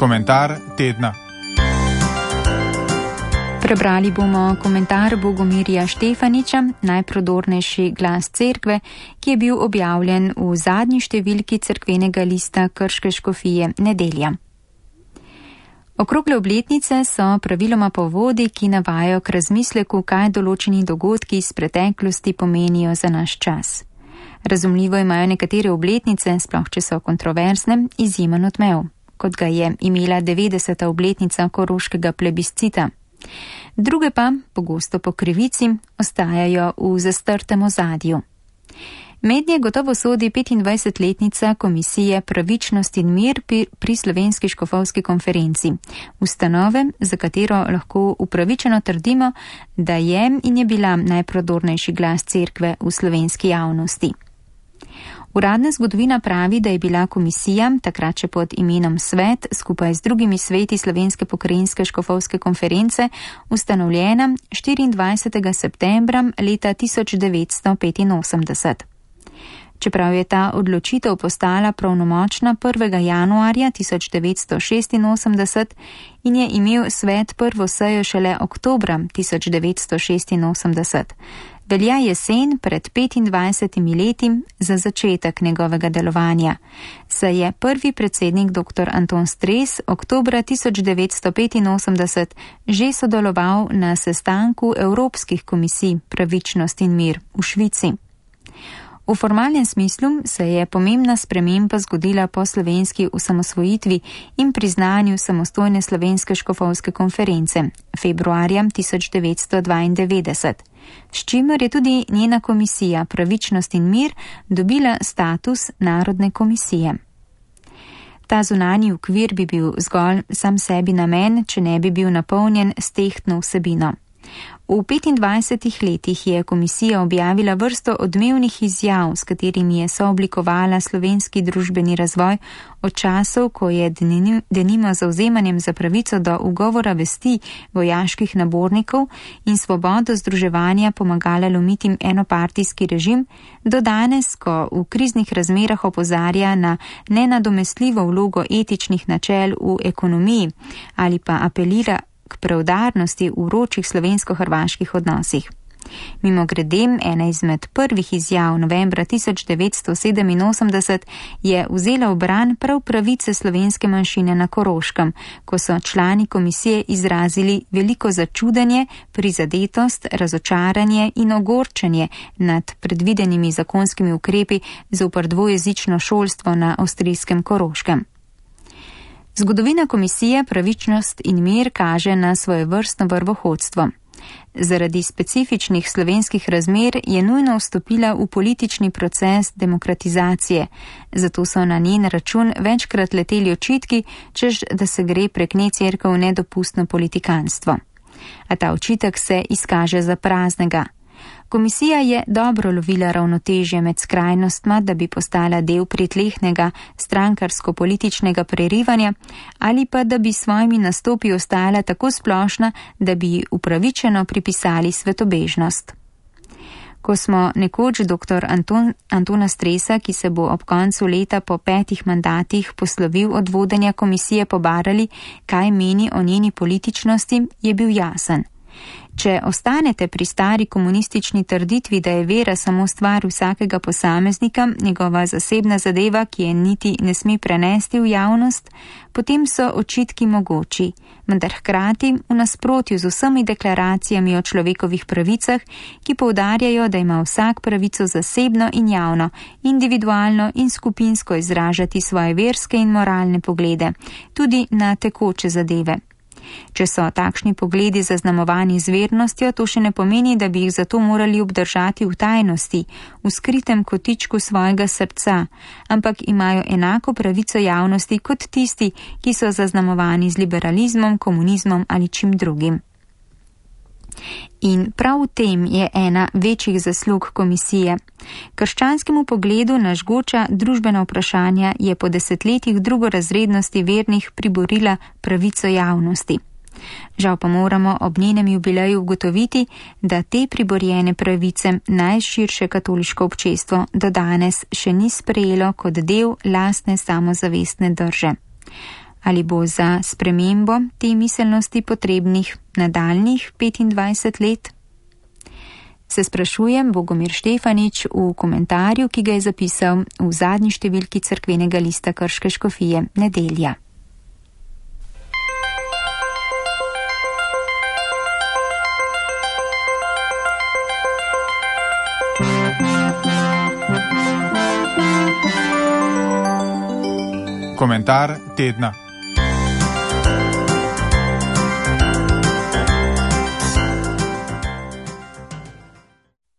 Komentar tedna. Prebrali bomo komentar Bogomirja Štefaniča, najprodornejši glas cerkve, ki je bil objavljen v zadnji številki cerkvenega lista Krške škofije Nedelja. Okrogle obletnice so praviloma povodi, ki navajajo k razmisleku, kaj določeni dogodki iz preteklosti pomenijo za naš čas. Razumljivo imajo nekatere obletnice, sploh če so kontroverzne, izjemen odmev, kot ga je imela 90. obletnica koroškega plebiscita. Druge pa, pogosto po krivici, ostajajo v zastrtem ozadju. Mednje gotovo sodi 25-letnica Komisije Pravičnost in mir pri Slovenski škofovski konferenci, ustanove, za katero lahko upravičeno trdimo, da je in je bila najprodornejši glas cerkve v slovenski javnosti. Uradna zgodovina pravi, da je bila komisija, takrat še pod imenom Svet, skupaj z drugimi sveti Slovenske pokrajinske škofovske konference, ustanovljena 24. septembra leta 1985. Čeprav je ta odločitev postala pravnomočna 1. januarja 1986 in je imel svet prvo sejo šele oktobra 1986, velja jesen pred 25 leti za začetek njegovega delovanja, saj je prvi predsednik dr. Anton Stres oktobra 1985 že sodeloval na sestanku Evropskih komisij Pravičnost in mir v Švici. V formalnem smislu se je pomembna sprememba zgodila po slovenski osamosvojitvi in priznanju samostojne Slovenske škofovske konference februarja 1992, s čimer je tudi njena komisija Pravičnost in mir dobila status narodne komisije. Ta zunanji okvir bi bil zgolj sam sebi namen, če ne bi bil napolnjen s tehtno vsebino. V 25 letih je komisija objavila vrsto odmevnih izjav, s katerimi je sooblikovala slovenski družbeni razvoj od časov, ko je denimo zavzemanjem za pravico do ugovora vesti vojaških nabornikov in svobodo združevanja pomagala lomiti enopartijski režim, do danes, ko v kriznih razmerah opozarja na nenadomestljivo vlogo etičnih načel v ekonomiji ali pa apelira k preudarnosti v vročih slovensko-hrvaških odnosih. Mimogrede, ena izmed prvih izjav novembra 1987 je vzela v bran prav pravice slovenske manjšine na Koroškem, ko so člani komisije izrazili veliko začudenje, prizadetost, razočaranje in ogorčenje nad predvidenimi zakonskimi ukrepi zoper dvojezično šolstvo na avstrijskem Koroškem. Zgodovina komisije Pravičnost in mir kaže na svojevrstno vrvohodstvo. Zaradi specifičnih slovenskih razmer je nujno vstopila v politični proces demokratizacije, zato so na njen račun večkrat leteli očitki, češ da se gre prek nje cerkev v nedopustno politikanstvo. A ta očitek se izkaže za praznega. Komisija je dobro lovila ravnotežje med skrajnostma, da bi postala del pritlehnega strankarsko-političnega prerivanja, ali pa da bi svojimi nastopi ostala tako splošna, da bi upravičeno pripisali svetobežnost. Ko smo nekoč dr. Antona Stresa, ki se bo ob koncu leta po 5 mandatih poslovil od vodenja komisije, pobarali, kaj meni o njeni političnosti, je bil jasen. Če ostanete pri stari komunistični trditvi, da je vera samo stvar vsakega posameznika, njegova zasebna zadeva, ki je niti ne sme prenesti v javnost, potem so očitki mogoči, vendar hkrati v nasprotju z vsemi deklaracijami o človekovih pravicah, ki poudarjajo, da ima vsak pravico zasebno in javno, individualno in skupinsko izražati svoje verske in moralne poglede, tudi na tekoče zadeve. Če so takšni pogledi zaznamovani z vernostjo, to še ne pomeni, da bi jih zato morali obdržati v tajnosti, v skritem kotičku svojega srca, ampak imajo enako pravico javnosti kot tisti, ki so zaznamovani z liberalizmom, komunizmom ali čim drugim. In prav v tem je ena večjih zaslug komisije. Krščanskemu pogledu na žgoča družbena vprašanja je po desetletjih drugorazrednosti vernih priborila pravico javnosti. Žal pa moramo ob njenem jubileju ugotoviti, da te priborjene pravice najširše katoliško občestvo do danes še ni sprejelo kot del lastne samozavestne drže. Ali bo za spremembo te miselnosti potrebnih nadaljnjih 25 let? Se sprašujem Bogomir Štefanič v komentarju, ki ga je zapisal v zadnji številki Cerkvenega lista Krške škofije Nedelja. Komentar tedna.